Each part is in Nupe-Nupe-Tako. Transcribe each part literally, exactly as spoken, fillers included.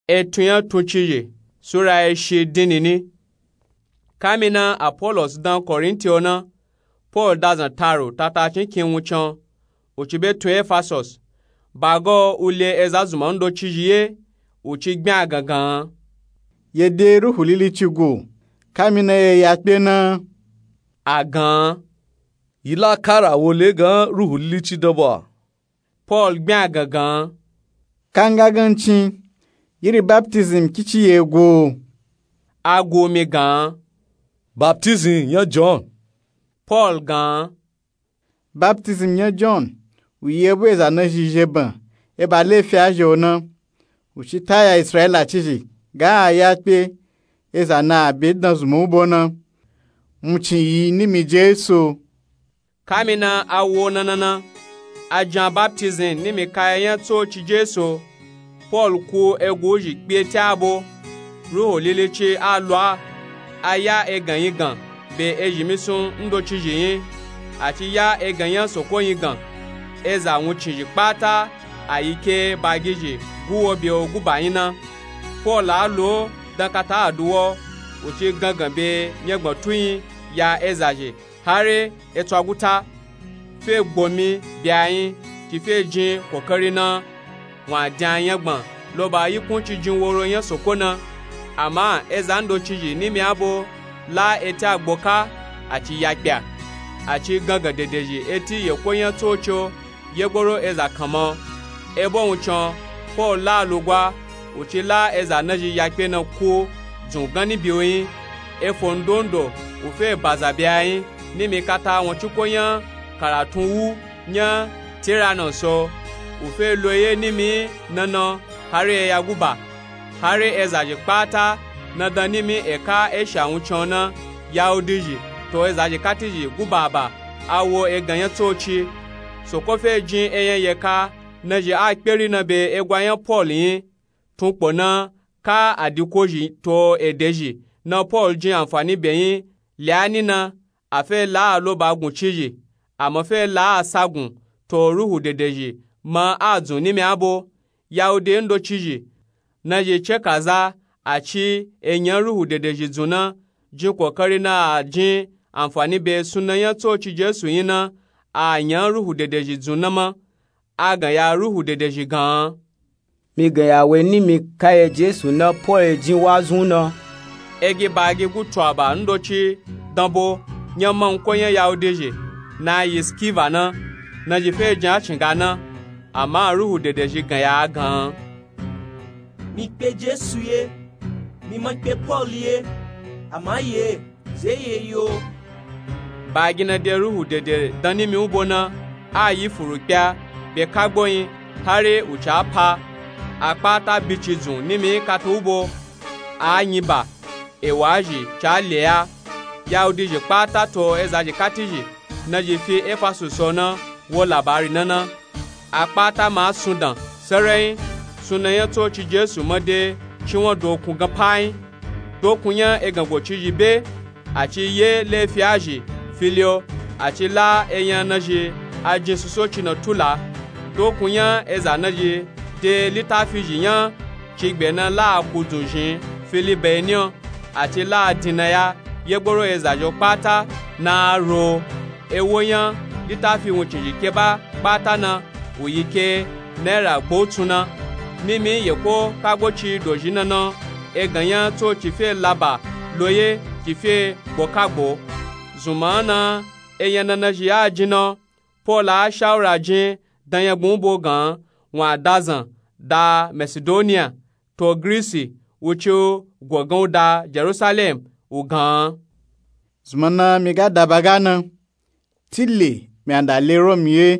Etun nya tuncizhi sura eshi dinini. Kamina Apolos dan Korinti o na, Pol dazan taro tatacin kin wuncin o, u ci be tun Efasos. Bago u le eza zunma ndocizhi ye, u ci gbin agangan. Ye de Ruhu Lilici gu, kamina ye ya kpe na? Agan. Yi la kara wo le gan Ruhu Lilici dan ba? Pol gbin agangan. Kanga gancin, yiri baptism kici ye gu? A gu mi gan. Baptism nya John. Pol gan. Baptism nya John, u ye bu eza nazhi zhe ban, e ba lefi a zhe o na. U ci ta ya Israila cizhi, ga a ya kpe, eza na a be dan zunma u bo na. Wuncin yi nimi Jesu. Kamina a wo na na na, a jan baptism nimi kaya nya tsoci Jesu. Pol ku egu zhi kpe ti a bo. Ruhu Lilici a lwa, a ya egan yin gan be ezhi misun ndocizhi yin, a ci ya egan nya Soko yin gan. Eza wuncin zhi kpata a yi ke bagizhi gu wo be o gu ba yin na. Pol a lo dan kata a du wo, u ci gangan be nya gban tu yin ya eza zhi. Hari e tsu aguta, fe gbomi be a yin, ci fe jin kokari na, wun a din a nyagban lo ba yikun ci jin woro nya Soko na. Ama eza ndocizhi nimi a bo la eti a gboka, a ci ya kpe a, a ci gangan dedezhi eti yeko nya tsoci o, yegboro eza kanma. E bo wuncin o, Pol la lugwa, u ci la eza nazhi ya kpe na ku dzun ganni be o yin. Efo ndondo u fe baza be a yin, nimi kata won ciko nya karatun wu nya Tiranos o. U fe lo ye nimi na na hari eya gu ba. Hari eza zhi kpata na dan nimi eka Eshiya wuncin o na, Yahudi zhi to eza zhi kati zhi gu ba ba, a wo egan nya tsoci. Soko fe jin eyan yeka nazhi a kperi na be egwa nya Pol yin. Tun kpo na, ka a di kozhi to ede zhi na Pol jin anfani be yin le a ni na, a fe la a lo ba gun cizhi, a ma fe la a sa gun to Ruhu dedezhi ma a dzun nimi a bo. Yahudi ndocizhi nazhi cekaza a ci eyan Ruhu dedezhi dzun na, jin kokari na a jin anfani be suna nya tsoci Jesu yin na, a yan Ruhu dedezhi dzun na ma. A gan ya Ruhu dedezhi gan. Mi gan ya we nimi ka ye Jesu na Pol e jin wa zun na. Egi bagi gu tu aba ndoci dan bo nya manko nya Yahudi zhi na yi Skiva na, nazhi fe jin a cinga na. Ama Ruhu dedezhi gan ya a gan. Mi kpe Jesu ye, mi ma kpe Pol ye, ama ye ze ye yo. Bagi na de Ruhu dede dan nimi u bo na, a yi furu kpe a be kagbo yin, hari u ca pa. A kpata bici dzun nimi kata u bo, a nyi ba, ewa zhi ca le a. Yahudi zhi kpata to eza zhi kati zhi nazhi fi Efasus o na wo labari na na. A kpata ma sun dan serenyi, suna nya tsoci Jesu ma de cinwan dokun gan pa yin. Dokun nya egan gocizhi be, a ci ye lefi a zhi fili o, a ci la eyan nazhi a jin susoci na tula. Dokun nya eza nazhi de litafi zhi nya cigbe na la a ku dzun zhin fili be ni o, a ci la a din na ya yegboro eza zhi o kpata na a ro. Ewo nya litafi wuncin zhi keba kpata na, u yi ke naira gbo tsun na. Nimi yeko kagbo ci dozhi na na, egan nya tsoci fe laba lo ye ci fe gbo kagbo. Zunma na eyan na nazhi a jin na, Pol a shawura jin dan nya gbun u bo gan, wun a dazan da Masidoniya to Grisi, wuci u go gan u da Jerusalem u gan. Zunma na mi ga da ba ga na, tile mi a da le Rom ye.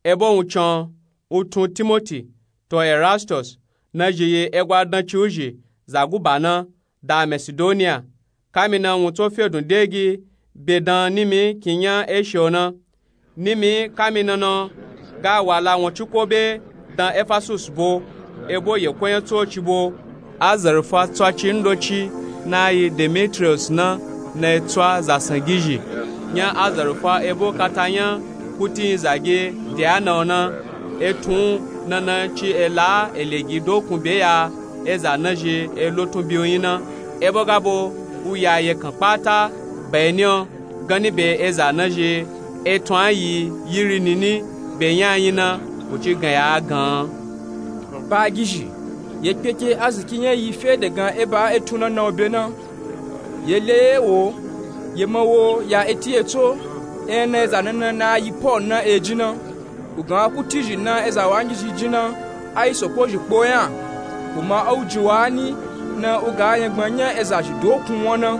Ebo wuncin o, u tun Timoti to Erastus, nazhi yi egwa dancin u zhi za guba na da Masidoniya. Kamina wun tso fedun degi be dan nimi kin nya Eshiya o na. Nimi kamina na ga wala won ciko be dan Efasus bo, ebo yeko nya tsoci bo. Azarfa tsoci ndoci na yi Demetriyus na, na yi tso zasan gizhi nya azarfa ebo kata nya kuti yin zagi Diana o na. Etun na na ci ela elegi dokun be ya. eza nazhi e lotun biyu nyi na. Ebo ga bo u ya yekan kpata, beni o, ganni be eza nazhi e tun a yi yiri nini be nyi a nyi na. U ci gan ya a gan. Bagizhi, ye kpeke aziki nya yi fe de gan e ba e tun na na o be na. Ye le ye wo, ye ma wo ya eti ye tso, e na eza na na na yi Paul na e ji na. U gan kuti zhi na eza wangizhi ji na, a yi soko zhi kpo nya. U ma a u ji wa ni, na u ga nyangban nya eza zhi dokun won na.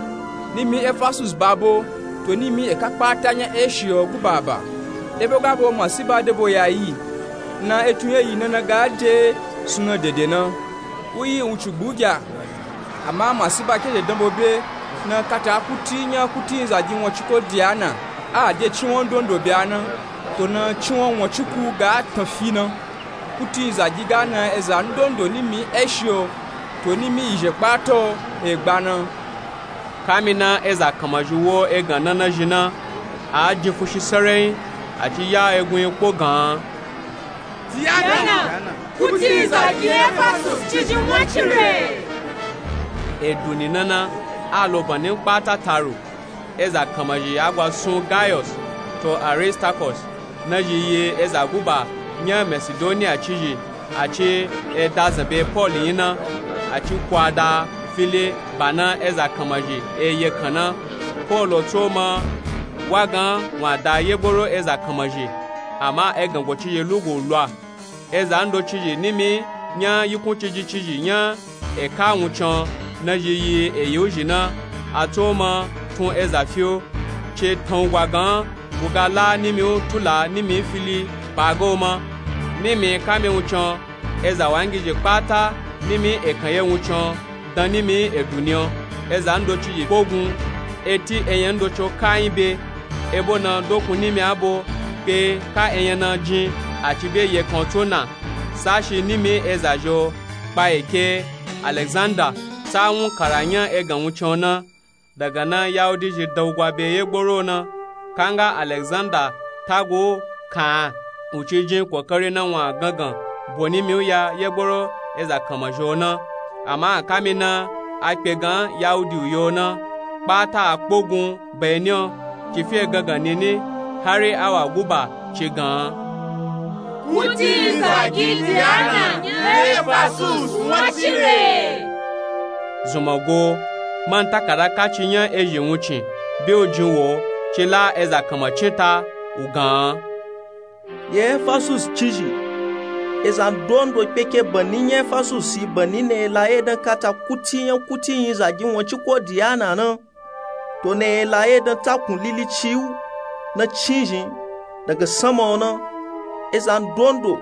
Nimi Efasus ba bo, to nimi eka kpata nya Eshi o guba ba. Ebo ga bo masiba de bo ya yi, na e tun ye yi na na ga de sunu dede na. U yi wuncin gbugya. Ama masiba ke de dan bo be, na kata kuti nya kuti nzagi won ciko Diana, a de cinwon ndondo be a na, to na cinwon won ciku ga tan fi na. Kuti nzagi ga na eza ndondo nimi Eshi o, to nimi yi zhe kpata o, e gba na. Kami na eza kanmazhi wo e gan na nazhi na, a jin fushi sarai, a ci ya egun yi kpo gan. Diana, kuti nzagi Efasus cizhi won cire. Edu ni na na, a lo bani kpata taru, eza kanmazhi a gwa sun Gaius, to Aristarchus, nazhi yi eza guba nya Masidoniya cizhi, a ci e da zan be Paul nyi na, a ci kwa da fili ba na eza kanmazhi e yekan na. Paul tso ma wa gan wa da yegboro eza kanmazhi, ama egan go cizhi lugu lwa. Eza ndoci zhi nimi nya yikun cizhi cizhi nya eka wuncin nazhi yi eyi u zhi na, a tso ma tun eza fi o, ce tan u gwa gan u ga la nimi u tula nimi fili ba ga u ma. Nimi kami wuncin, eza wangizhi kpata nimi ekan ye wuncin dan nimi edu ni o. Eza ndoci zhi kpogun, eti eyan ndoci o ka nyi be, ebo na dokun nimi a bo kpe ka eyan na jin, a ci be yekan tso na. Sashi nimi eza zhi o, kpa eke Alexander sa wun kara nya egan wuncin o na. Daga na Yahudi zhi dan u gwa be yegboro na. Kanga Alexander tagu u kan, u ci jin kokari na wun a gangan bo nimi u ya yegboro eza kanmazhi o na. Ama kami na a kpe gan Yahudi u yo na, kpata a kpogun beni o, ci fi e gangan nini, hari awa guba ci gan. Kuti nzagi Diana nya Efasus won cire. Zunmagwo, man takada kaci nya ezhi wuncin be u jin wo, ci la eza kanmacin ta, u gan. Ye Efasus cizhi, eza ndondo kpeke bani nya Efasus yi bani na e la ye dan kata kuti nya kuti nyi zagi won ciko Diana na. To na e la ye dan takun lili ci u na cizhi daga sama o na. Eza ndondo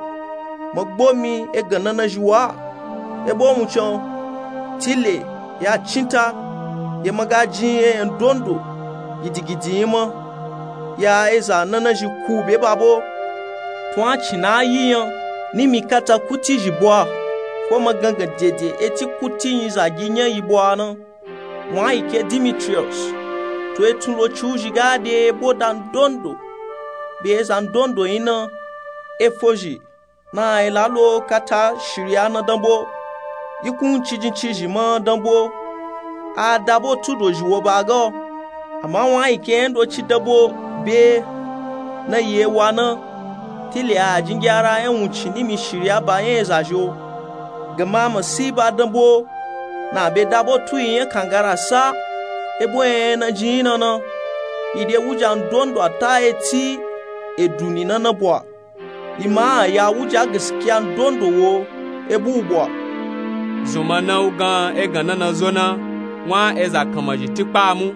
ma gbo mi egan na nazhi wa. Ebo wuncin o, tile ya cin ta, ye ma ga jin eyan ndondo gidigidi nyi ma. Ya eza na nazhi ku be ba bo. Tun a cin na a yi nya, nimi kata kuti zhi bwa, ko ma gangan dede eti kuti nyi zagi nya yi bwa na. Wun a yi ke Dimitriyos, to etun loci u zhi ga de ebo da ndondo be eza ndondo nyi na, e fo zhi na a yi la lo kata shiriya na dan bo, yikun cijin cizhi ma dan bo. A da bo tu dozhi wo ba ga o. Ama wun a yi ke nya ndoci dan bo be na yi e wa na, tile a jin gyara nya wuncin nimi shiriya ba nya eza zhi o. Gama masiba dan bo, na be da bo tu yi nya kangara sa, ebo nya na jin nyi na na. Yi de wuja ndondo a ta eti edu ni na na bwa. Yi ma a ya wuja gaskiya ndondo wo ebu u bwa. Zunma na u gan egan na na zo na, wun a eza kanmazhi tikpa mu.